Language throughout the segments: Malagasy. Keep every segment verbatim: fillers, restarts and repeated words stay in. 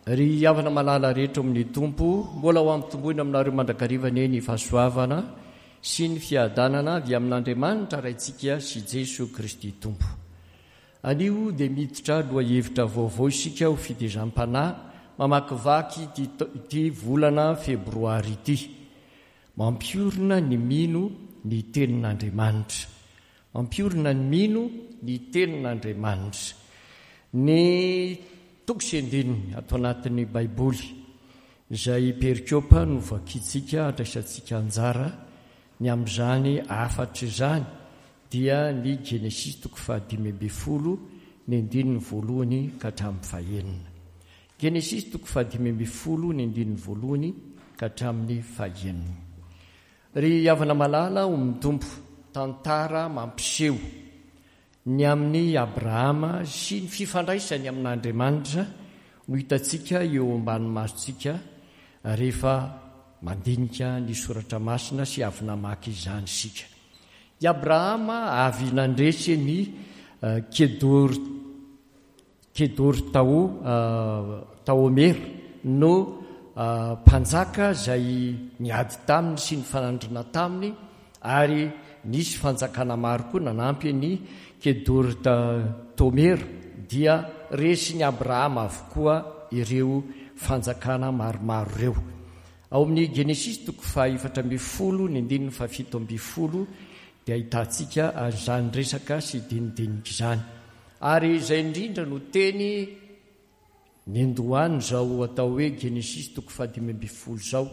Ry havana malala rehetra ao amin'ny Tompo, mbola ho ampitomboina aminareo mandrakariva anie ny fahasoavana sy ny fiadanana avy amin'Andriamanitra Raintsika sy Jesoa Kristy Tompo. Anio dia miditra lohahevitra vaovao isika ho fitezam-panahy mamakivaky ity, ity volana febroary ity. Mampiorina ny mino ny tenin'Andriamanitra. Mampiorina ny mino ny tenin'Andriamanitra. Ny toko sy andininy ato anatin'ny Baiboly izay perikopa no vakintsika andraisantsika anjara ny amin'izany hafatra izany dia ny Genesisy toko fahadimy ambin'ny folo ny andininy voalohany ka hatramin'ny fahenina. Genesisy toko fahadimy ambin'ny folo ny andininy voalohany ka hatramin'ny fahenina. Ry havana malala ao amin'ny Tompo, tantara mampiseho ny amin'i Abrahama sy ny fifandraisany amin'Andriamanitra no hitantsika eo ambany masontsika rehefa mandinika ny soratra masina sy avy namaky izany isika. I Abrahama avy nandresy ny Kedor Kedortao Taomera no mpanjaka izay niady taminy sy nifanandrina taminy, ary nisy fanjakana maro koa nanampy ny Kedortaomera, dia resin'i Abrahama avokoa ireo fanjakana maromaro ireo. Ao amin'ny Genesisy toko fahaefatra ambin'ny folo ny andininy fahafito ambin'ny folo dia ahitantsika an'izany resaka sy dinidinika izany. Ary izay indrindra no teny nendohany izao atao hoe Genesisy toko fahadimy ambin'ny folo izao,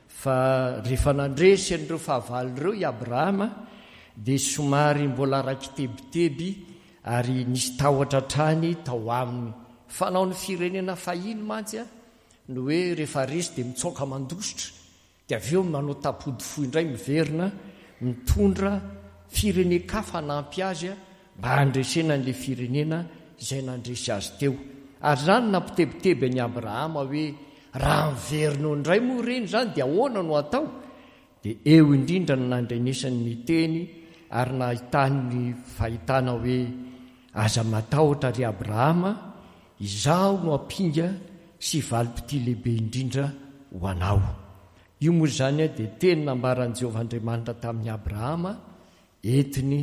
fa rehefa nandresy an'ireo fahavalo ireo i Abrahama dia somary mbola raiki-tebiteby ary nisy tahotra hatrany tao aminy. Fanao ny firenena fahiny mantsy a ny hoe rehefa resy dia mitsoaka mandositra, dia avy eo manao tapody fo indray miverina mitondra firenen-kafa hanampy azy mba handresena an'ilay firenena izay nandresy azy teo. Ary izany nampitebiteby an'i Abrahama hoe raha miverina eo indray moa ireny izany dia ahoana no atao? Dia eo indrindra no nandrenesany ny teny ary nahitany ny fahitana hoe aza matahotra ry Abrahama, izaho no ampinga sy valim-pitia lehibe indrindra ho anao. Io moa izany dia teny nambaran'i Jehovah Andriamanitra tamin'i Abrahama entiny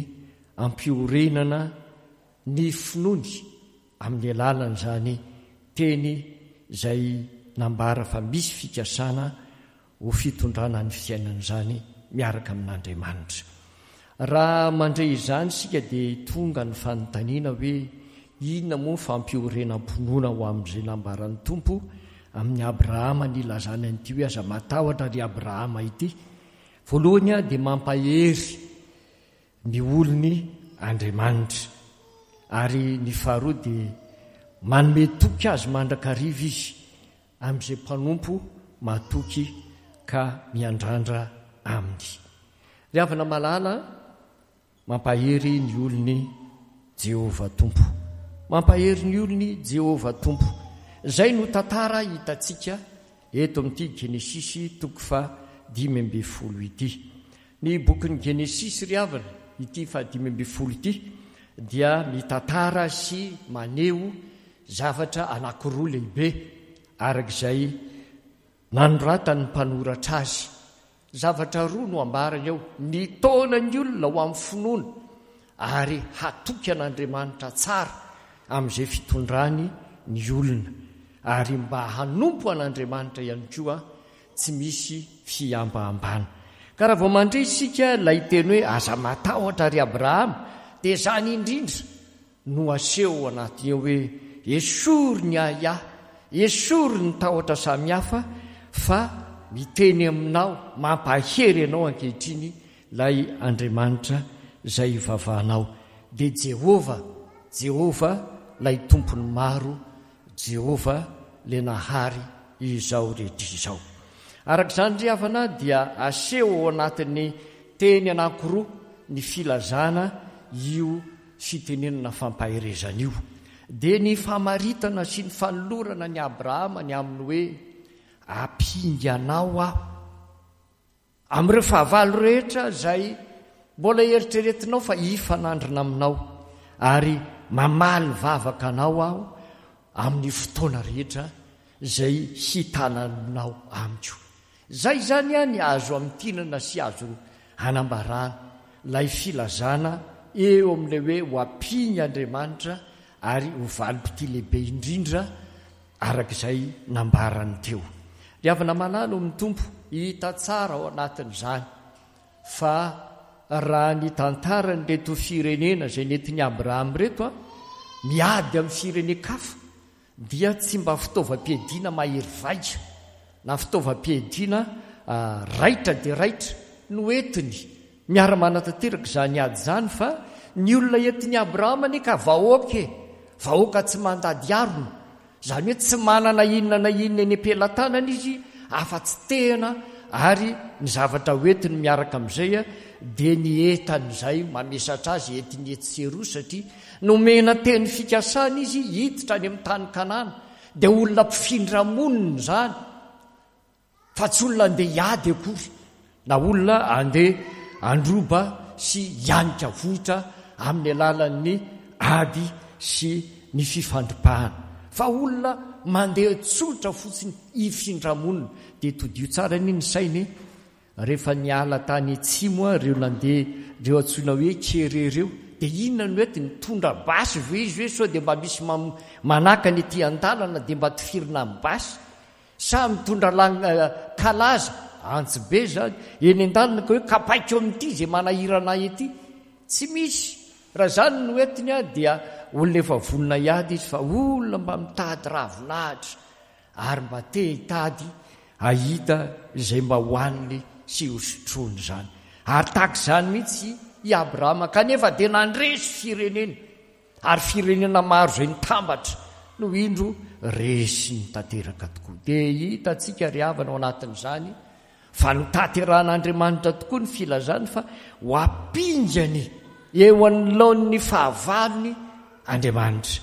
ampiorenana ny finoany amin'ny alalan'izany teny izay nambara fa misy fikasana ho fitondrana ny fiainan'izany miaraka amin'Andriamanitra. Raha mandre izany isika dia tonga ny fanontaniana hoe inona moa ny fampiorenam-pinoana ho amin'izay nambaran'ny Tompo amin'i Abrahama nilazany an'ity hoe aza matahotra ry Abrahama ity. Voalohany dia mampahery ny olony Andriamanitra, ary ny faharoa dia manome toky azy mandrakariva izy amin'izay mpanompo matoky ka miandrandra aminy. Ry havana malala, mampahery ny olony Jehovah Tompo. Mampahery ny olony Jehovah Tompo. Izay no tantara hitantsika eto amin'ity Genesisy toko fahadimy ambin'ny folo ity. Ny bokin'ny Genesisy ry havana, ity fahadimy ambin'ny folo ity, dia mitantara sy maneho zavatra anankiroa lehibe arak'izay nanoratan'ny mpanoratra azy. Zavatra roa no ambarany ao: ny taonan'ny olona ho amin'ny finoana ary hatoky an'Andriamanitra tsara amin'izay fitondrany ny olona, ary mba hanompo an'Andriamanitra ihany koa tsy misy fihambahambana. Ka raha vao mandre isika ilay teny hoe aza matahotra ry Abrahama, dia izany indrindra no aseho ao anatiny ao hoe esory ny ahiahy, esory ny tahotra samihafa, fa miteny aminao, mampahery anao ankehitriny ilay Andriamanitra izay ivavahanao. Dia Jehovah, Jehovah ilay Tompon'ny maro, Jehovah ilay nahary izao rehetra izao. Araka izany ry havana dia aseho ao anatin'ny teny anankiroa ny filazana io fitenenana fampaherezana io. Dia ny famaritana sy ny fanolorana ny Abrahama ny amin'ny hoe ampinganao aho amin'ireo fahavalo rehetra izay mbola eritreretinao fa hifanandrina aminao, ary mamaly vavaka anao aho amin'ny fotoana rehetra izay hitananao amiko. Izay izany ny azo amintinana sy azo anambarana ilay filazana eo amin'ilay hoe ho ampiany Andriamanitra ary ho valim-pitia lehibe indrindra araka izay nambarany teo. Ry havana malala ao amin'ny Tompo, hita tsara ao anatin'izany fa raha ny tantaran'ireto firenena izay nentin'i Abrahama ireto a, miady amin'ny firenen-kafa dia tsy mba fitaovam-piadiana mahery vaika na fitaovam-piadiana raitra dia raitra no entiny miara-manatanteraka izany ady izany, fa ny olona entin'i Abrahama anie ka vahoaka e, vahoaka tsy mandady arona, izany hoe tsy manana inona na inona eny am-pelatanana izy afa-tsy tehina, ary ny zavatra hoentiny miaraka amin'izay dia ny entan'izay mamesatra azy entiny etsy sy eroa, satria nomena teny fikasana izy hiditra any amin'ny tany Kanana, dia olona mpifindra monina izany fa tsy olona andeha hiady akory na olona andeha handroba sy hianika vohitra amin'ny alalan'ny ady sy ny fifandripahana, fa olona mandeha tsotra fotsiny hifindra monina. Dia todio tsara anie ny sainy rehefa niala tany atsimo ireo nandeha ireo antsoina hoe kere ireo, dia inona no entiny? Mitondra basy ve izy hoe sao dia mba misy manakana ety an-dalana dia mba tifirina amin'ny basy, sa mitondra kalaza antsy be zany eny an-dalana ka hoe kapaiko amin'ity izay manahirana ahy ety? Tsy misy. Raha izany no entiny a, dia olona efa vonona hiady izy, fa olona mba mitady ravinahitra ary mba te hitady hahita izay mba hohaniny sy hosotroiny izany. Ary tahaka izany mihitsy i Abrahama, kanefa dia nandresy firenena, ary firenena maro izay nitambatra no indro resiny tanteraka tokoa. Dia hitantsika ry havana ao anatin'izany fa notanterahan'Andriamanitra tokoa ny filazany fa ho ampingany eo anoloan'ny fahavalony Andriamanitra.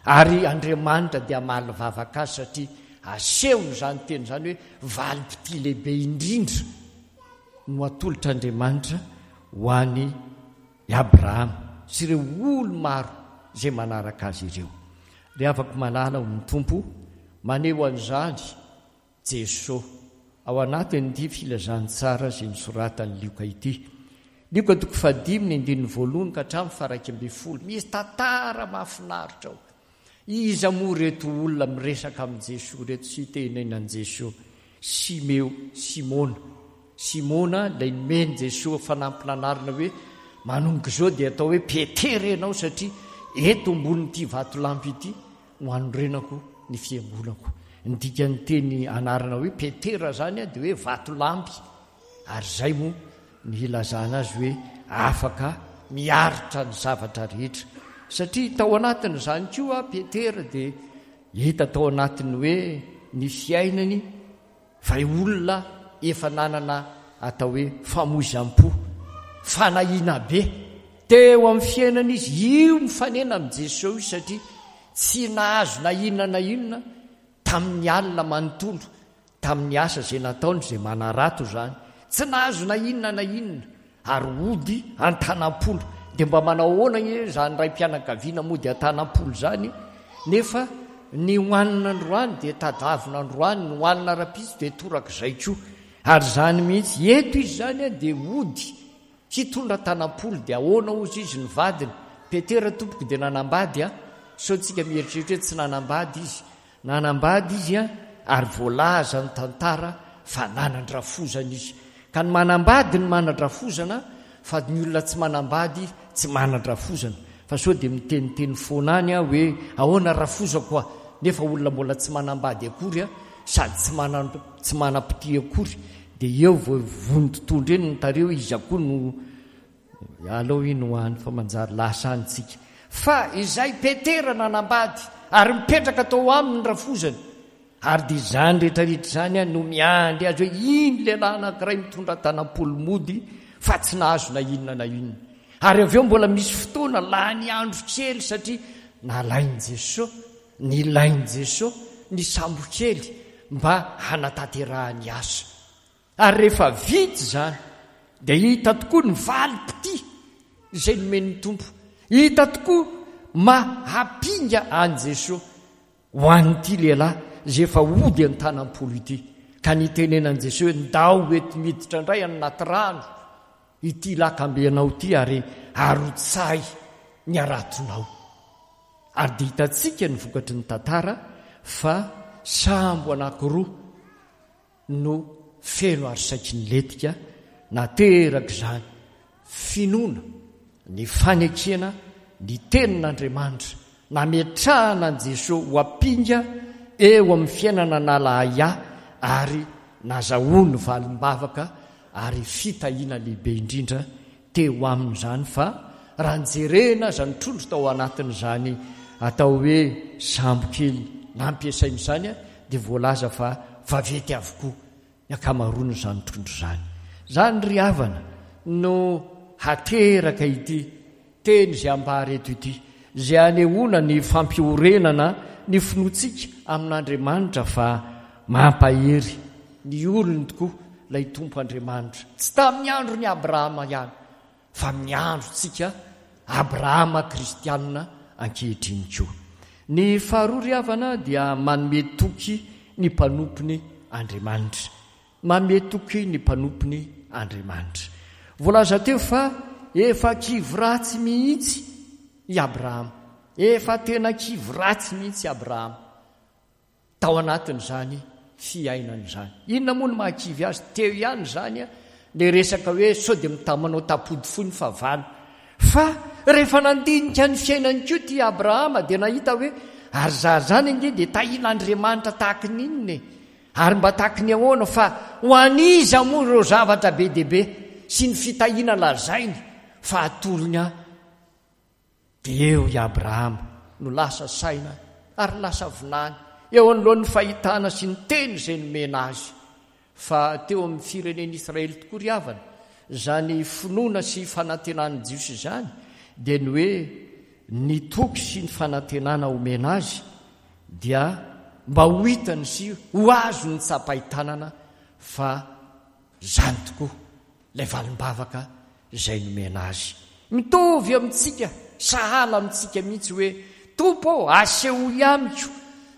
Ary Andriamanitra dia hamaly vavaka azy, satria asehony izany teny izany hoe valim-pitia lehibe indrindra no atolotr'Andriamanitra ho an'i Abrahama sy ireo olo maro izay manaraka azy ireo. Ry havako malala ao amin'ny Tompo, maneho an'izany Jesoa ao anatin'ity filazantsara izay nosoratan'i Lioka ity. Lioka toko fahadimy ny andininy voalohany ka hatramin'ny faha-iraika ambin'ny folo. Misy tantara mahafinaritra ao. Iza moa ireto olona miresaka amin'i Jesoa ireto sy tenenan'i Jesoa? Simeo, Simona. Simona ilay nomen'i Jesoa fanampin'anarana hoe manomboka izao dia atao hoe Petera ianao, satria eto ambonin'ity vatolampy ity no hanorenako ny fiangonako. Ny dikan'ny teny anarana hoe Petera izany dia hoe vatolampy, ary izay moa ny hilazana azy hoe afaka miaritra ny zavatra rehetra, satria tao anatin'izany koa Petera dia hita tao anatin'ny hoe ny fiainany fa olona efa nanana atao hoe famoizam-po, fanahiana be teo amin'ny fiainana izy. Io mifanena amin'i Jesoa io, satria tsy nahazo na inona na inona tamin'ny alina manontolo, tamin'ny asa izay nataony, izay manarato izany, tsy nahazo na inona na inona, ary ody an-tanam-polo. Dia mba manao ahoana anie izany raim-pianakaviana mody an-tanam-polo izany, nefa ny hohanina androany dia tadavina androany, ny hohanina rahampitso dia torak'izay koa. Ary izany mihitsy, eto izy izany dia ody hitondra tanam-polo. Dia ahoana hozy izy ny vadiny? Petera tompoko dia nanambady a, sao tsika mieritreritra hoe tsy nanambady izy. Nanambady izy a, ary voalaza ny tantara fa nanan-drafozana izy. Ka ny manambady ny manan-drafozana, fa ny olona tsy manambady tsy manan-drafozana. Fa sao dia miteniteny foana any aho hoe ahoana rafozako a, nefa olona mbola tsy manambady akory a, sady tsy manan-, tsy manam-pitia akory. Dia eo vao vontontondro eny ny tarehy hoe iza koa no alao iny ho any, fa manjary lasa any tsika. Fa izay Petera nanambady ary mipetraka tao aminy ny rafozany, ary dia izany rehetrarehetra izany no miandry azy hoe iny lehilahy anankiray mitondra tanam-polo mody fa tsy nahazo na inona na inona. Ary avy eo mbola misy fotoana lany andro kely, satria nalain'i Jesoa, nilain'i Jesoa ny sambo kely mba hanatanterahany asa. Ary rehefa vita izany dia hita tokoa ny valim-pitia izay nomen'ny Tompo. Hita tokoa mahampinga an'i Jesoa ho an'ity lehilahy izay efa hody an-tanam-polo ity. Ka nitenenan'i Jesoa hoe, Ndao eto miditra indray any anaty rano ity lakambenao ity ary arotsahy ny haratonao. Ary dia hitantsika ny vokatry ny tantara fa sambo anankiroa no feno ary saiky nilentika. Nateraka izany finoana, ny fanekena ny tenin'Andriamanitra, nametrahana an'i Jesoa ho ampinga eo amin'ny fiainana nala ahiahy ary nazahoany valim-bavaka ary fitahiana lehibe indrindra teo aminy izany. Fa raha nijerena aza ny trondro tao anatin'izany atao hoe sambo kely nampiasaina izany dia voalaza fa vaventy avokoa ny ankamaroan'izany trondro izany. Izany ry havana no hateraka ity teny izay ambara eto ity, izay anehoana ny fampiorenana ny finoantsika amin'Andriamanitra fa mampahery ny olony tokoa ilay Tompo Andriamanitra. Tsy tamin'ny andron'i Abrahama ihany, fa amin'ny androntsika Abrahama kristianina ankehitriny koa. Ny faharoa ry havana dia manome toky ny mpanompony Andriamanitra. Manome toky ny mpanompony Andriamanitra. Voalaza teo fa efa kivy ratsy mihitsy i Abrahama. Efa tena kivy ratsy mihitsy i Abrahama tao anatin'izany fiainana izany. Inona moa no mahakivy azy? Teo ihany izany ilay resaka hoe sao dia mitamanao tapody fohy ny fahavalo. Fa rehefa nandinika ny fiainany koa ity Abrahama dia nahita hoe ary za izany ange dia tahian'Andriamanitra tahaka ny inona e? Ary mba tahaka ny ahoana? Fa ho an'iza moa ireo zavatra be dia be sy ny fitahiana lazainy fa atolony ahy? Dia eo i Abrahama no lasa saina ary lasa vinany eo anoloan'ny fahitana sy ny teny izay nomena azy. Fa teo amin'ny firenen'Israely tokoa ry havana, izany finoana sy fanantenan'ny Jiosy izany dia ny hoe ny toky sy ny fanantenana omena azy dia mba ho hitany sy ho azony tsapain-tanana fa izany tokoa ilay valim-bavaka izay nomena azy. Mitovy amintsika, sahala amintsika mihitsy hoe, Tompo ô, asehoy amiko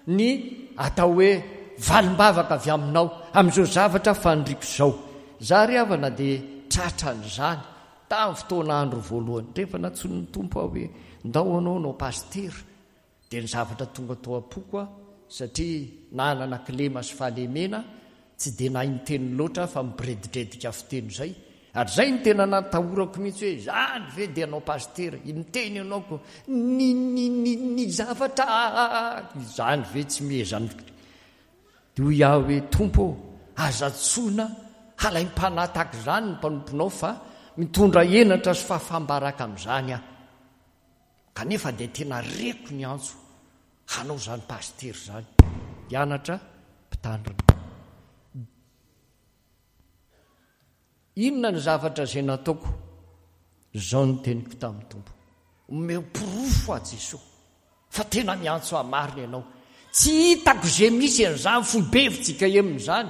ny atao hoe valim-bavaka avy aminao amin'izao zavatra faniriako izao. Izaho ry havana dia tratran'izany tamin'ny fotoana andro voalohany. Rehefa nantsoin'ny Tompo aho hoe, ndao ianao hanao pasitera, dia ny zavatra tonga tao am-poko aho, satria nanana kilema sy fahalemena, tsy dia nahay niteny loatra aho fa mibiredidredika fiteny izay. Ary izay no tena natahorako mihitsy hoe, izany ve dia hanao pasitera, miteny ianao ko ny ny ny ny zavatra izany ve tsy mihezany. Dia hoy aho hoe, Tompo ô, aza antsoina halaim-panahy tahaka izany ny mpanomponao fa mitondra henatra sy fahafaham-baraka amin'izany aho. Kanefa dia tena reko ny antso hanao izany pasitera izany, hianatra mpitandrina. Inona ny zavatra izay nataoko? Izao no teniko tamin'ny Tompo, omeo porofo aho Jesoa fa tena miantso ahy marina Ianao. Tsy hitako izay misy an'izany foibe fjkm izany,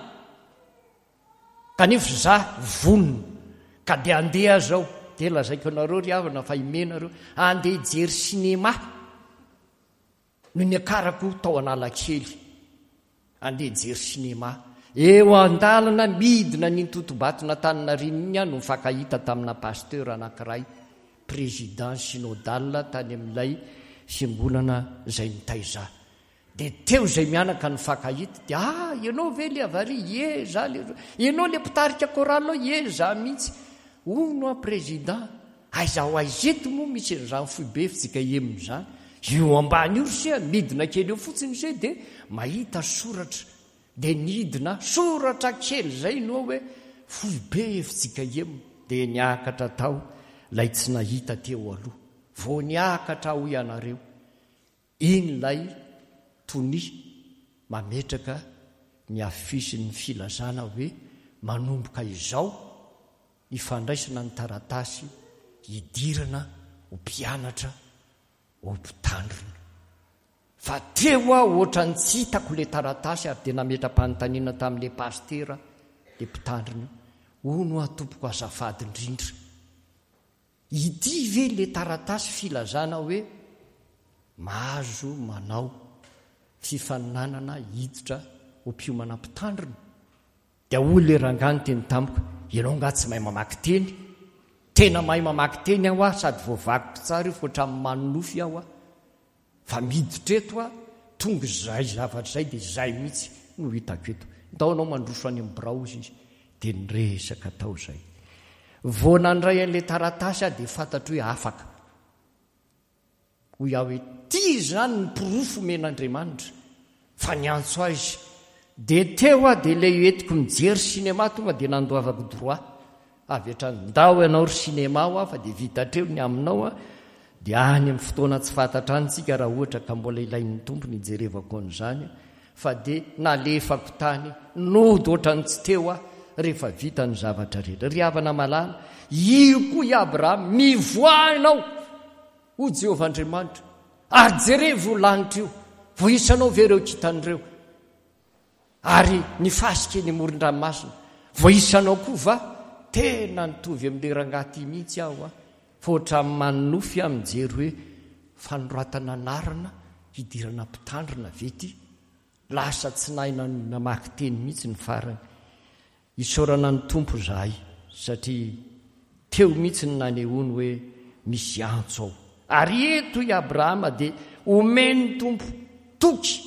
kanefa izaho vonona ka dia handeha aho izao. Dia lazaiko anareo ry havana fa imenareo, handeha hijery sinema no niakarako tao Analakely. Andeha hijery sinema. Eo an-dalana midina an'iny totobaton'Antaninarenina iny aho no nifankahita tamina pasteur anankiray, président synodal tany amin'ilay fiangonana izay nitaiza ahy. Dia teo izay mianaka nifankahita, dia ah, ianao ve le avy ary? Ie, za le. Ianao le mpitarika chorale ao? Ie, za mihitsy. Hono aho président, aiza ho aiza eto moa misy an'izany foibe fjkm izany? Eo ambany io ry se, midina kely eo fotsiny se dia mahita soratra. Dia nidina, soratra kely izay no hoe foibe fjkm. Dia niakatra tao ilay tsy nahita teo aloha. Vao niakatra aho hoy ianareo, iny ilay tonia mametraka ny afisin'ny filazana hoe manomboka izao ny fandraisana ny taratasy hidirana ho mpianatra ho mpitandrina. Fa teo aho ohatran'ny tsy hitako ilay taratasy ary dia nametra-panontaniana tamin'ilay pasitera, ilay mpitandrina, hono aho tompoko azafady indrindra, ity ve ilay taratasy filazana hoe mahazo manao fifaninanana hiditra ho mpiomana mpitandrina. Dia hoy ilay rangahy niteny tamiko, ianao angaha tsy mahay mamaky teny? Tena mahay mamaky teny aho aho sady voavakiko tsara io fa ohatran'ny manonofy aho aho. Fa miditra eto aho, tonga izay zavatra izay dia izay mihitsy no hitako eto. Ndao ianao mandroso any amin'ny birao hozy izy. Dia niresaka tao izay. Vao nandray an'ilay taratasy aho dia fantatro hoe afaka. Hoy aho hoe, ity izany ny porofo omen'Andriamanitra fa niantso ahy izy. Dia teo aho dia ilay entiko mijery cinéma tonga dia nandoavako droit avy hatrany. Ndao ianao ry cinéma hoa fa dia vita hatreo ny aminao a. Dia any amin'ny fotoana tsy fantatra any tsika raha ohatra ka mbola ilain'ny Tompo ny hijerevako an'izany fa dia nalefako tany nody ohatran'ny tsy teo aho rehefa vita ny zavatra rehetra. Ry havana malala, io koa i Abrahama, mivoaha ianao, hoy Jehovah Andriamanitra, ary jerevo io lanitra io, voahisanao ve ireo kintana ireo? Ary ny fasika eny amoron-dranomasina, voahisanao koa va? Tena nitovy amin'ilay rangahy ity mihitsy aho a! Fa ohatran'ny manonofy aho mijery hoe fanoratana anarana hidirana mpitandrina ve ity? Lasa tsy nahay namaky teny mihitsy ny farany. Isaorana ny Tompo izahay satria teo mihitsy ny nanehoany hoe misy antso ao. Ary eto i Abrahama dia omen'ny Tompo toky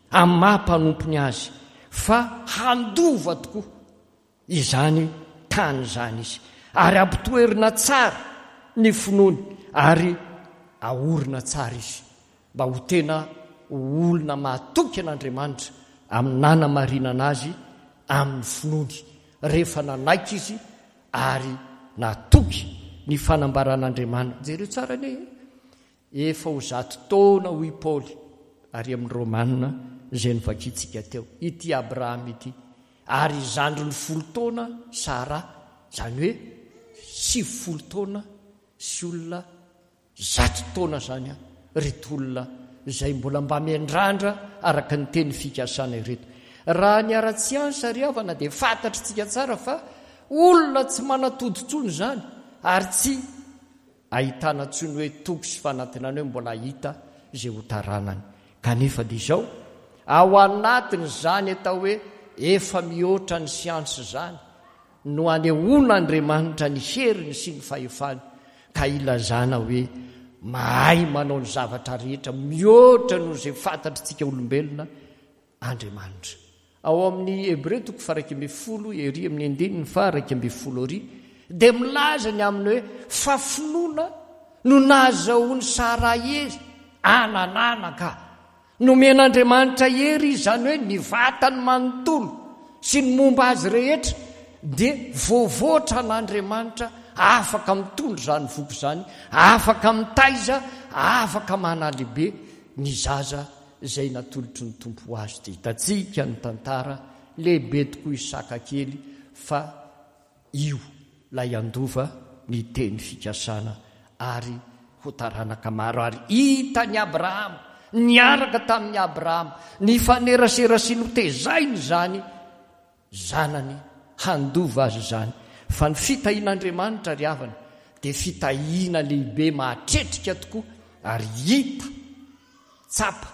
amin'ny maha mpanompony azy fa handova tokoa izany tany izany izy, ary ampitoerina tsara ny finoany ary aorina tsara izy mba ho tena ho olona mahatoky an'Andriamanitra amin'ny nanamarinana azy amin'ny finoany rehefa nanaiky izy ary natoky ny fanambaran'Andriamanitra. Jereo tsara anie e! Efa ho zato taona hoy Paoly ary amin'ny Romana izay novakintsika teo, ity Abrahama ity, ary zandriny folo taona Sara, izany hoe sivifolo taona sy olona zato taona izany ireto olona izay mbola mba miandrandra araka ny teny fikasana ireto. Raha ny ara-tsiansa ry havana dia fantatritsika tsara fa olona tsy manatody intsony izany ary tsy ahitana intsony hoe toky sy fanantenana hoe mbola hahita izay ho taranany. Kanefa dia izao, ao anatin'izany atao hoe efa mihoatra ny siansa izany no anehoan'Andriamanitra ny heriny sy ny fahefany ka ilazana hoe mahay manao ny zavatra rehetra mihoatra noho izay fantatritsika olombelona Andriamanitra. Ao amin'ny Hebreo toko faha-iraika ambin'ny folo ery amin'ny andininy faha-iraika ambin'ny folo ery dia milaza ny amin'ny hoe fa finoana no nahazahoan'i Sara hery anananaka. Nomen'Andriamanitra hery izy, izany hoe ny vatany manontolo sy ny momba azy rehetra dia voavoatra an'Andriamanitra, afaka mitondra izany voky izany, afaka mitaiza, afaka manalehibe ny zaza izay natolotry ny Tompo ho azy. Dia hitantsika ny tantara, lehibe tokoa Isaka kely fa io ilay handova ny teny fikasana ary ho taranaka maro. Ary hitan'i Abrahama, niaraka tamin'i Abrahama, nifanerasera sy notezainy izany zanany handova azy izany. Fa ny fitahian'Andriamanitra ry havana dia fitahiana lehibe mahatretrika tokoa ary hita, tsapa,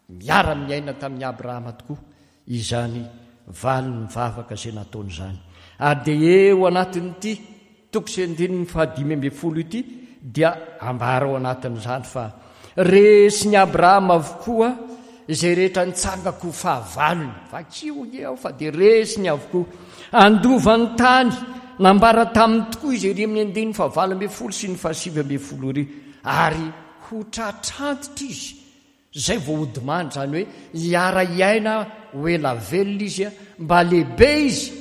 miara-miaina tamin'i Abrahama tokoa izany valin'ny vavaka izay nataony izany. Ary dia eo anatin'ity toko sy andininy fahadimy ambin'ny folo ity dia ambara ao anatin'izany fa resin'i Abrahama avokoa izay rehetra nitsangako ho fahavalony. Vakio ange aho fa dia resiny avokoa. Handova ny tany nambara taminy tokoa izy ery amin'ny andininy fahavalo ambin'ny folo sy ny fahasivy ambin'ny folo ery. Ary ho tratrantitra izy izay vao hodimandry, izany hoe hiara-hiaina ho ela velona izy, mba lehibe izy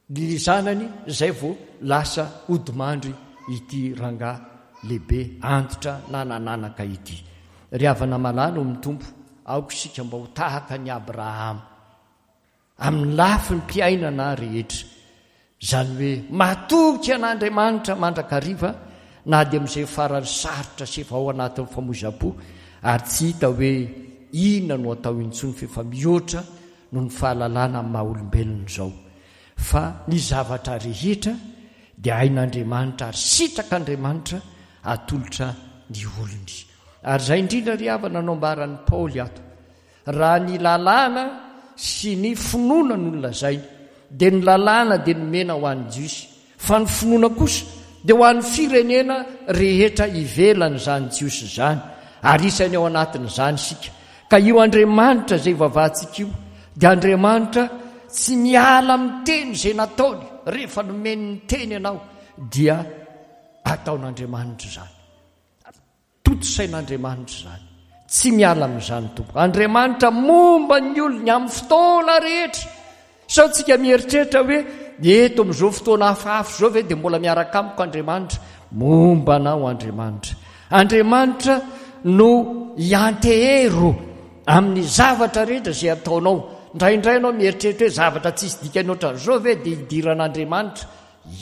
ny zanany izay vao lasa hodimandry ity rangahy lehibe antitra nanananaka ity. Ry havana malala ao amin'ny Tompo, aoka isika mba ho tahaka an'i Abrahama amin'ny lafim-piainana rehetra. Izany hoe matoky an'Andriamanitra mandrakariva na dia amin'izay farany sarotra sy efa ao anatin'ny famoizam-po ary tsy hita hoe inona no atao intsony f'efa mihoatra noho ny fahalalana amin'ny maha-olombelona izao. Fa ny zavatra rehetra dia hain'Andriamanitra ary sitrak'Andriamanitra atolotra ny olony. Ary izay indrindra ry havana no ambaran'i Paoly ato. Raha ny lalàna sy ny finoana no nolazainy, dia ny lalàna dia nomena ho an'ny Jiosy, fa ny finoana kosa dia ho an'ny firenena rehetra ivelan'izany Jiosy izany, ary isany ao anatin'izany isika. Ka io Andriamanitra izay ivavahantsika io dia Andriamanitra tsy miala amin'ny teny izay nataony. Rehefa nomeny ny teny ianao dia ataon'Andriamanitra izany. Tontosain'Andriamanitra izany. Tsy miala amin'izany Tompo. Andriamanitra momba ny olony amin'ny fotoana rehetra. Sao tsika mieritreritra hoe eto amin'izao fotoana hafahafa izao ve dia mbola miaraka amiko Andriamanitra? Momba anao Andriamanitra. Andriamanitra no iantehero amin'ny zavatra rehetra izay ataonao. Indraindray ianao mieritreritra hoe zavatra tsisy dikany ohatran'izao ve dia idiran'Andriamanitra?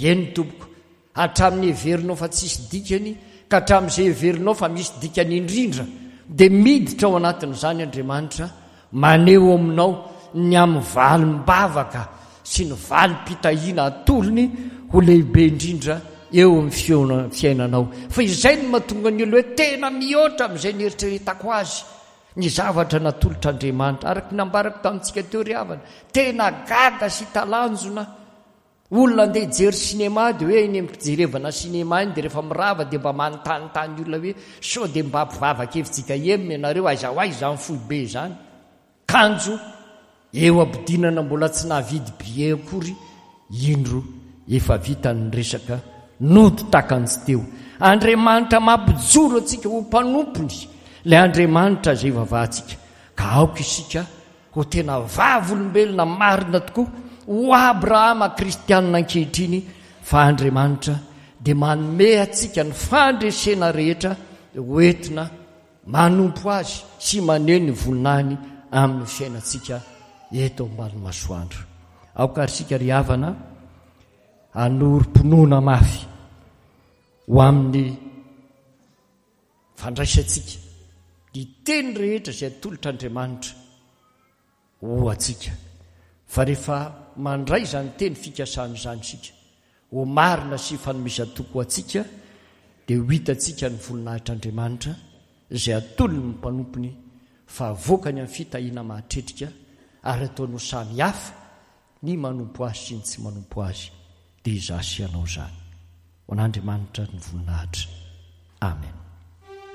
Eny tompoko. Hatramin'ny heverinao fa tsisy dikany ka hatramin'izay heverinao fa misy dikany indrindra dia miditra ao anatin'izany Andriamanitra, maneho aminao ny amin'ny valim-bavaka sy ny valim-pitahiana atolony ho lehibe indrindra eo amin'ny fiainanao. Fa izay no mahatonga ny olona hoe tena mihoatra amin'izay nieritreretako azy ny zavatra natolotr'Andriamanitra. Araka ny nambarako tamintsika teo ry havana, tena gaga sy talanjona. Olona andeha hijery sinema dia hoe eny amin'ny fijerevana sinema iny dia rehefa mirava dia mba manontanintany olona hoe sao dia mba mpivavaka F J K M ianareo, aiza ho aiza izany foibe izany? Kanjo eo ampidinana mbola tsy nahavidy billet akory, indro efa vita ny resaka nody takanjy teo. Andriamanitra mampijoro antsika ho mpanompony ilay Andriamanitra izay ivavahantsika, ka aoka isika ho tena vavolombelona marina tokoa ho Abrahama kristianina ankehitriny fa Andriamanitra dia manome antsika ny fandresena rehetra hoentina manompo azy sy maneho ny voninahiny amin'ny fiainantsika eto ambany masoandro. Aoka ary isika ry havana hanorim-pinoana mafy ho amin'ny fandraisantsika ny teny rehetra izay atolotr'Andriamanitra ho antsika, fa rehefa mandray izany teny fikasana izany isika ho marina sy fanomezan-toky ho antsika, dia ho hitantsika ny voninahitr'Andriamanitra izay atolony ny mpanompony fa avoakany amin'ny fitahiana mahatretrika ary ataony ho samy hafa ny manompo azy sy ny tsy manompo azy, dia izaho sy ianao izany. Ho an'Andriamanitra ny voninahitra. Amen.